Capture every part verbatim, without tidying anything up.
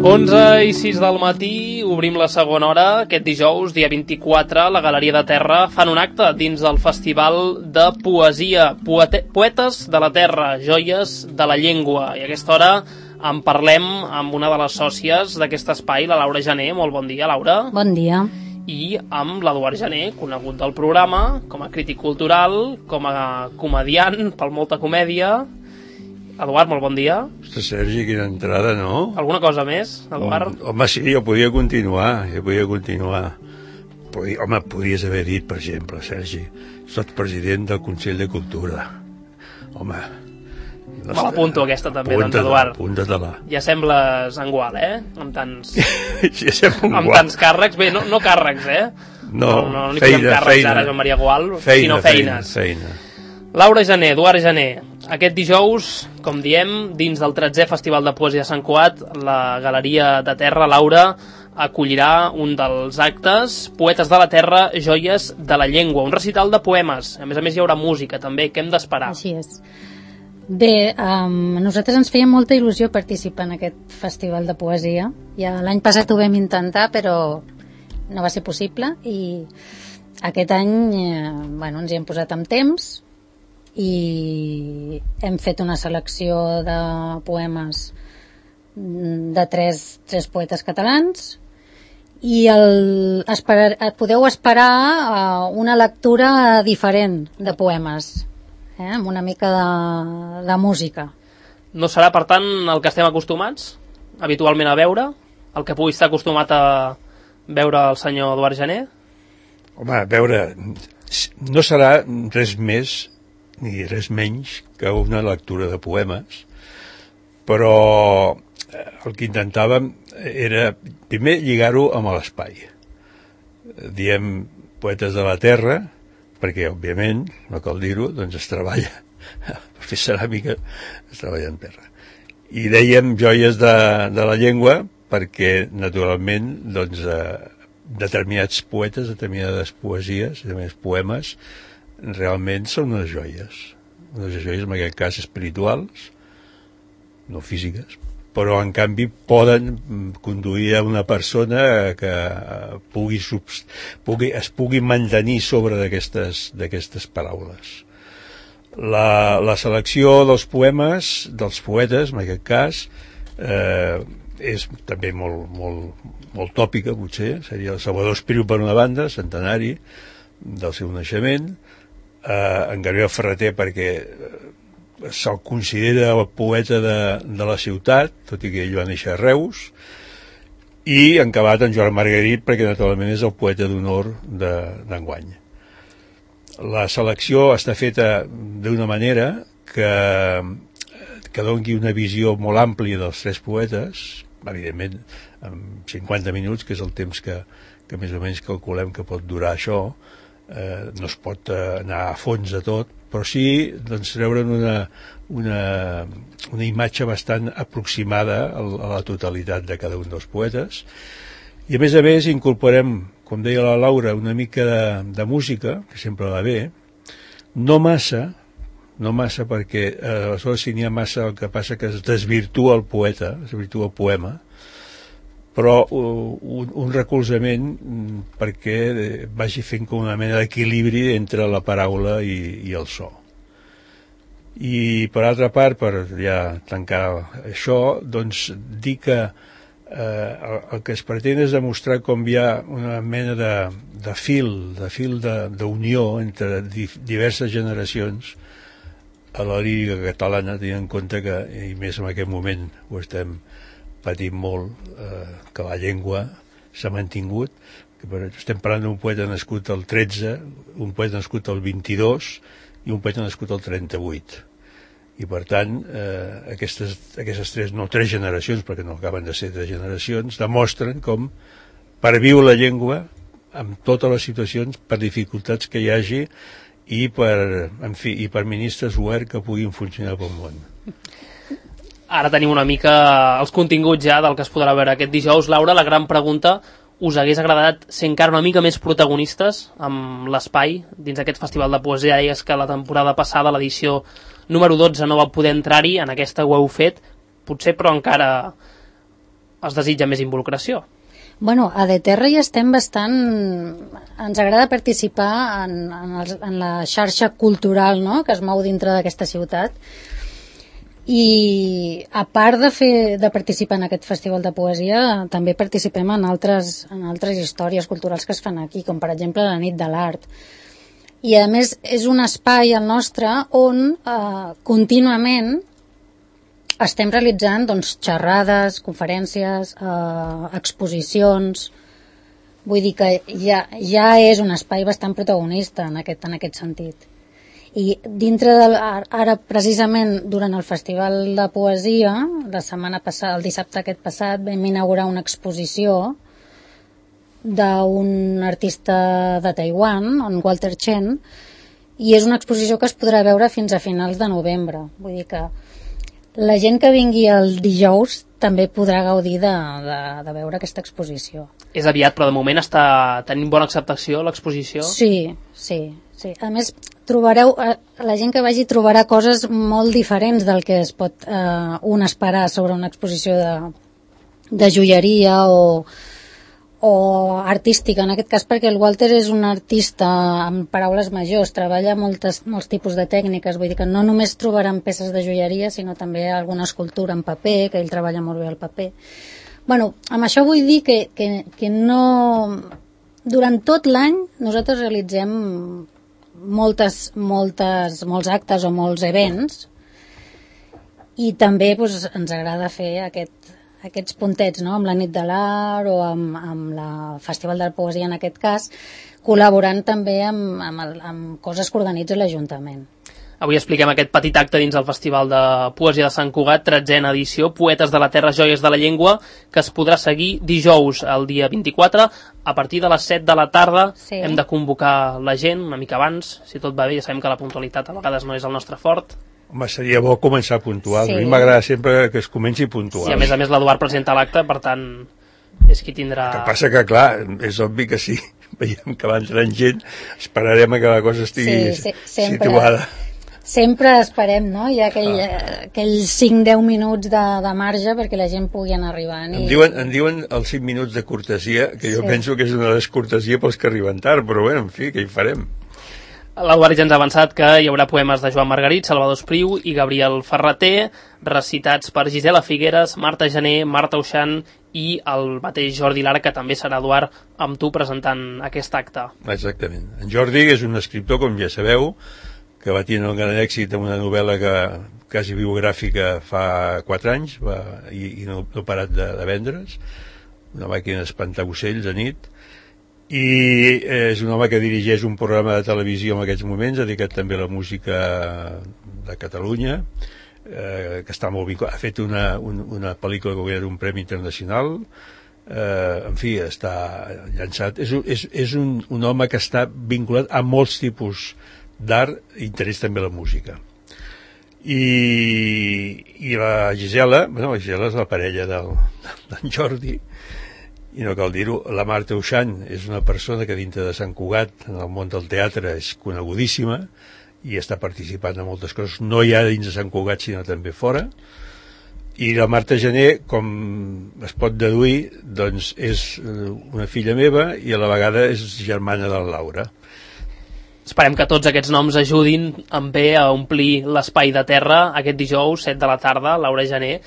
onze i sis del matí, obrim la segona hora. Aquest dijous, dia vint-i-quatre, la Galeria de Terra fan un acte dins del Festival de Poesia. Poete Poetes de la Terra, joies de la llengua. I a aquesta hora en parlem amb una de les sòcies d'aquest espai, la Laura Gené. Molt bon dia, Laura. Bon dia. I amb l'Eduard Gené, conegut del programa, com a crític cultural, com a comediant, pel Molta Comèdia. Eduard, molt bon dia. Ostres, Sergi, quina entrada, no? Alguna cosa més, Eduard? Mm, home, sí, jo podia continuar, jo podia continuar. Podia, home, podies haver dit, per exemple, Sergi, sots president del Consell de Cultura. Home... No me l'apunto aquesta també, doncs, Eduard. Apunta-te-la. Ja sembles engual, eh? Amb tants... ja sembla amb tants càrrecs. Bé, no, no càrrecs, eh? No, no, no, no feina, posem càrrecs feina. ara, Joan Maria Gual, feina, sinó feines. Feina, feina. Laura Gené, Eduard Gené, aquest dijous, com diem, dins del tretzè Festival de Poesia de Sant Cugat, la Galeria de Terra, Laura, acollirà un dels actes, Poetes de la Terra, joies de la llengua, un recital de poemes. A més a més hi haurà música també, què hem d'esperar? Així és. Bé, um, a nosaltres ens feia molta il·lusió participar en aquest festival de poesia. Ja l'any passat ho vam intentar, però no va ser possible, i aquest any eh, bueno, ens hi hem posat amb temps i hem fet una selecció de poemes de tres, tres poetes catalans, i el, esperar, podeu esperar uh, una lectura diferent de poemes, eh, amb una mica de, de música. No serà, per tant, el que estem acostumats habitualment a veure, el que pugui estar acostumat a veure el senyor Eduard Gené? Home, a veure, no serà res més ni res menys que una lectura de poemes, però el que intentàvem era primer lligar-ho amb l'espai. Diem Poetes de la Terra perquè, òbviament, no cal dir-ho, doncs es treballa, per fer ceràmica es treballa en terra. I dèiem joies de, de la llengua perquè, naturalment, doncs, eh, determinats poetes, determinades poesies, determinats poemes, realment són unes joies. Unes joies, en aquest cas, espirituals, no físiques, però, en canvi, poden conduir a una persona que pugui, subst... pugui es pugui mantenir sobre d'aquestes d'aquestes paraules. La, la selecció dels poemes, dels poetes, en aquest cas, eh, és també molt, molt, molt tòpica, potser. Seria el Salvador Espriu, per una banda, centenari del seu naixement, eh, en Gabriel Ferreter, perquè se'l considera el poeta de, de la ciutat, tot i que ell va néixer a Reus, i en acabat en Joan Margarit, perquè naturalment és el poeta d'honor d'enguany. La selecció està feta d'una manera que, que doni una visió molt àmplia dels tres poetes, evidentment en cinquanta minuts, que és el temps que, que més o menys calculem que pot durar això. Eh, no es pot eh, anar a fons de tot, però sí, doncs, treure'n una, una, una imatge bastant aproximada a, a la totalitat de cada un dels poetes. I a més a més incorporem, com deia la Laura, una mica de, de música, que sempre va bé, no massa, no massa perquè eh, aleshores si n'hi ha massa el que passa que es desvirtua el poeta, es desvirtua el poema, però un, un recolzament perquè vagi fent com una mena d'equilibri entre la paraula i, i el so. I per altra part, per ja tancar això, doncs dir que eh, el, el que es pretén és demostrar com hi ha una mena de, de fil, de fil d'unió entre di, diverses generacions a la lírica catalana, tenint en compte que, i més en aquest moment ho estem patim molt, eh, que la llengua s'ha mantingut, que per, estem parlant d'un poeta nascut al tretze, un poeta nascut al vint-i-dos i un poeta nascut al trenta-vuit. I per tant, eh, aquestes, aquestes tres, no tres generacions, perquè no acaben de ser tres generacions, demostren com perviu la llengua amb totes les situacions, per dificultats que hi hagi i per, en fi, i per ministres oberts que puguin funcionar pel món. Ara tenim una mica els continguts ja del que es podrà veure aquest dijous. Laura, la gran pregunta, us hagués agradat ser encara una mica més protagonistes amb l'espai dins aquest festival de poesia? Deies que la temporada passada, l'edició número dotze, no va poder entrar-hi, en aquesta ho heu fet, potser però encara es desitja més involucració. Bueno, a De Terra hi estem bastant... Ens agrada participar en, en, els, en la xarxa cultural, no?, que es mou dintre d'aquesta ciutat. I a part de, fer, de participar en aquest festival de poesia, també participem en altres, en altres històries culturals que es fan aquí, com per exemple la Nit de l'Art. I a més és un espai, el nostre, on eh, contínuament estem realitzant doncs, xerrades, conferències, eh, exposicions. Vull dir que ja, ja és un espai bastant protagonista en aquest, en aquest sentit. I dintre de, ara precisament durant el Festival de Poesia, la setmana passada, el dissabte aquest passat, vam inaugurar una exposició d'un artista de Taiwan, en Walter Chen, i és una exposició que es podrà veure fins a finals de novembre. Vull dir que la gent que vingui el dijous també podrà gaudir de, de, de veure aquesta exposició. És aviat, però de moment està tenint bona acceptació l'exposició? Sí, sí, sí. A més, trobareu, la gent que vagi trobarà coses molt diferents del que es pot eh, un esperar sobre una exposició de, de joieria o o artística, en aquest cas, perquè el Walter és un artista amb paraules majors, treballa moltes, molts tipus de tècniques, vull dir que no només trobaran peces de joieria, sinó també alguna escultura en paper, que ell treballa molt bé el paper. Bueno, amb això vull dir que, que, que no... Durant tot l'any nosaltres realitzem moltes, moltes, molts actes o molts events, i també doncs, ens agrada fer aquest aquests puntets, no?, amb la Nit de l'Art o amb, amb la Festival de la Poesia en aquest cas, col·laborant també amb, amb, el, amb coses que organitza l'Ajuntament. Avui expliquem aquest petit acte dins el Festival de Poesia de Sant Cugat, tretzena edició, Poetes de la Terra, Joies de la Llengua, que es podrà seguir dijous, el dia vint-i-quatre, a partir de les set de la tarda. Sí. Hem de convocar la gent una mica abans, si tot va bé, ja sabem que la puntualitat a vegades no és el nostre fort. Home, seria bo començar puntual. Sí. A mi m'agrada sempre que es comenci puntual. Sí, a més a més l'Eduard presenta l'acte, per tant, és qui tindrà... El que passa que, clar, és obvi que sí, veiem que va entrant gent, esperarem que la cosa estigui sí, sí, sempre, situada. Sempre esperem, no? Hi ha aquell, ah. aquells cinc a deu minuts de, de marge perquè la gent pugui anar arribant. Em, i... diuen, em diuen els cinc minuts de cortesia, que jo sí. penso que és una descortesia pels que arriben tard, però bé, en fi, què hi farem? L'Eduard ja ens ha avançat que hi haurà poemes de Joan Margarit, Salvador Espriu i Gabriel Ferrater, recitats per Gisela Figueres, Marta Gené, Marta Uixant i el mateix Jordi Lara, que també serà, Eduard, amb tu presentant aquest acte. Exactament. En Jordi és un escriptor, com ja sabeu, que va tenir un gran èxit amb una novel·la que, quasi biogràfica fa quatre anys va, i, i no, no ha parat de, de vendre's, una màquina d'espantar ocells a nit, i és un home que dirigeix un programa de televisió en aquests moments, dedicat també a la música de Catalunya, eh, que està molt vinculat, ha fet una, un, una pel·lícula que guanyarà un premi internacional, eh, en fi, està llançat, és, és, és un, un home que està vinculat a molts tipus d'art i interès també a la música. I, i la Gisela, bueno, la Gisela és la parella del, d'en Jordi, i no cal dir-ho, la Marta Uixant és una persona que dintre de Sant Cugat, en el món del teatre, és conegudíssima i està participant en moltes coses, no ja dins de Sant Cugat, sinó també fora. I la Marta Gené, com es pot deduir, doncs és una filla meva i a la vegada és germana de la Laura. Esperem que tots aquests noms ajudin en bé a omplir l'espai de terra aquest dijous, set de la tarda, Laura Gené,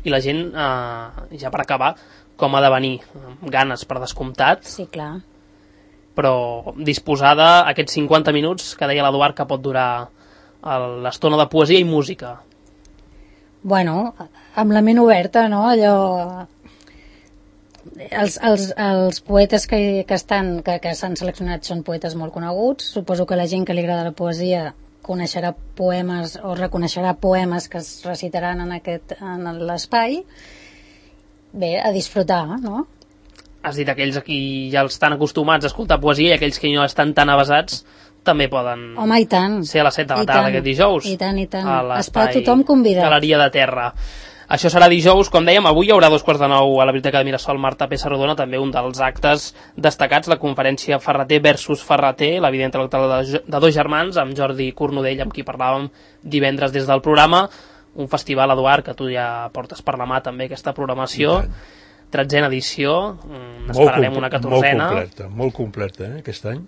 i la gent, eh, ja per acabar, com ha de venir, amb ganes per descomptat. Sí, clar. Però disposada a aquests cinquanta minuts que deia l'Eduard que pot durar l'estona de poesia i música. Bueno, amb la ment oberta, no? Allò... Els, els, els poetes que, que estan, que, que s'han seleccionat són poetes molt coneguts. Suposo que la gent que li agrada la poesia coneixerà poemes o reconeixerà poemes que es recitaran en, aquest, en l'espai. Bé, a disfrutar, no? Has dit aquells aquí ja estan acostumats a escoltar poesia i aquells que no estan tan avasats també poden Home, i tant. ser a les set de la tarda aquest dijous. I tant, i tant. Està tothom convidat. Galeria de Terra. Això serà dijous, com dèiem, avui hi haurà dos quarts de nou a la Biblioteca de Mirasol Marta Pessarrodona, també un dels actes destacats, la conferència Ferrater versus Ferrater, la vida intel·lectual de, de dos germans, amb Jordi Cornudell, amb qui parlàvem divendres des del programa, un festival, Eduard, que tu ja portes per la mà també aquesta programació, tretzena edició, n'esperarem una catorzena. Molt completa, molt completa, eh, aquest any.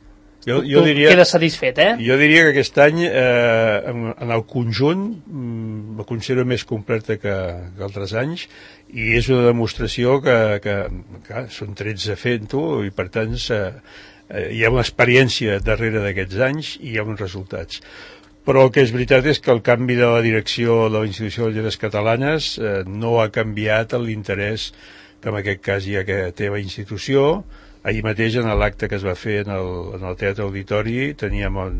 Jo, jo tu diria, quedes satisfet, eh? Jo diria que aquest any, eh, en, en el conjunt, mm, la considero més completa que, que altres anys, i és una demostració que, que, que són tretze fent-ho, i per tant eh, hi ha una experiència darrere d'aquests anys i hi ha uns resultats. Però el que és veritat és que el canvi de la direcció de la Institució de Lletres Catalanes eh, no ha canviat l'interès que en aquest cas hi ha que té la institució. Ahir mateix, en l'acte que es va fer en el, en el Teatre Auditori, teníem el,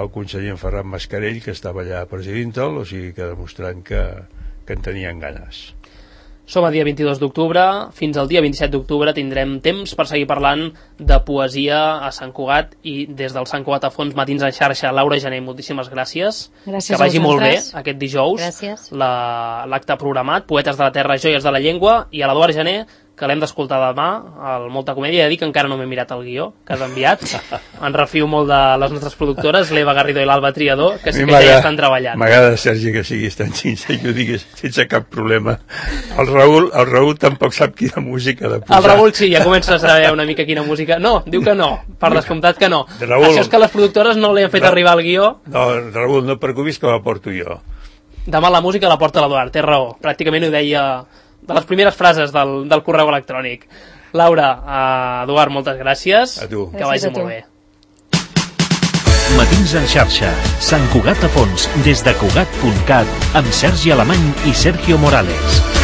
el conseller Ferran Mascarell, que estava allà presidint-el, o sigui que demostrant que, que en tenien ganes. Som a dia vint-i-dos d'octubre, fins al dia vint-i-set d'octubre tindrem temps per seguir parlant de poesia a Sant Cugat, i des del Sant Cugat a Fons Matins en xarxa, Laura Gené, moltíssimes gràcies. Gràcies que vagi molt bé aquest dijous. Gràcies. La, l'acte programat, Poetes de la Terra, Joies de la Llengua, i a l'Eduard Gené, que l'hem d'escoltar demà, al Molta Comèdia. He de dir que encara no m'he mirat el guió que has enviat. En refio molt de les nostres productores, l'Eva Garrido i l'Alba Triador, que, que ja estan treballant. M'agrada, Sergi, que siguis tan sincer, jo digues sense cap problema. El Raül, el Raül tampoc sap quina música de posar. El Raül sí, ja comença a saber una mica quina música. No, diu que no, per descomptat que no. Raül, això és que les productores no li han fet Ra arribar el guió. No, Raül, no et preocupis que la porto jo. Demà la música la porta l'Eduard, té raó. Pràcticament ho deia de les primeres frases del, del correu electrònic. Laura, uh, Eduard, moltes gràcies. A tu. Que vagi molt bé. Matins en xarxa, Sant Cugat a Fons, des de Cugat punt cat, amb Sergi Alemany i Sergio Morales.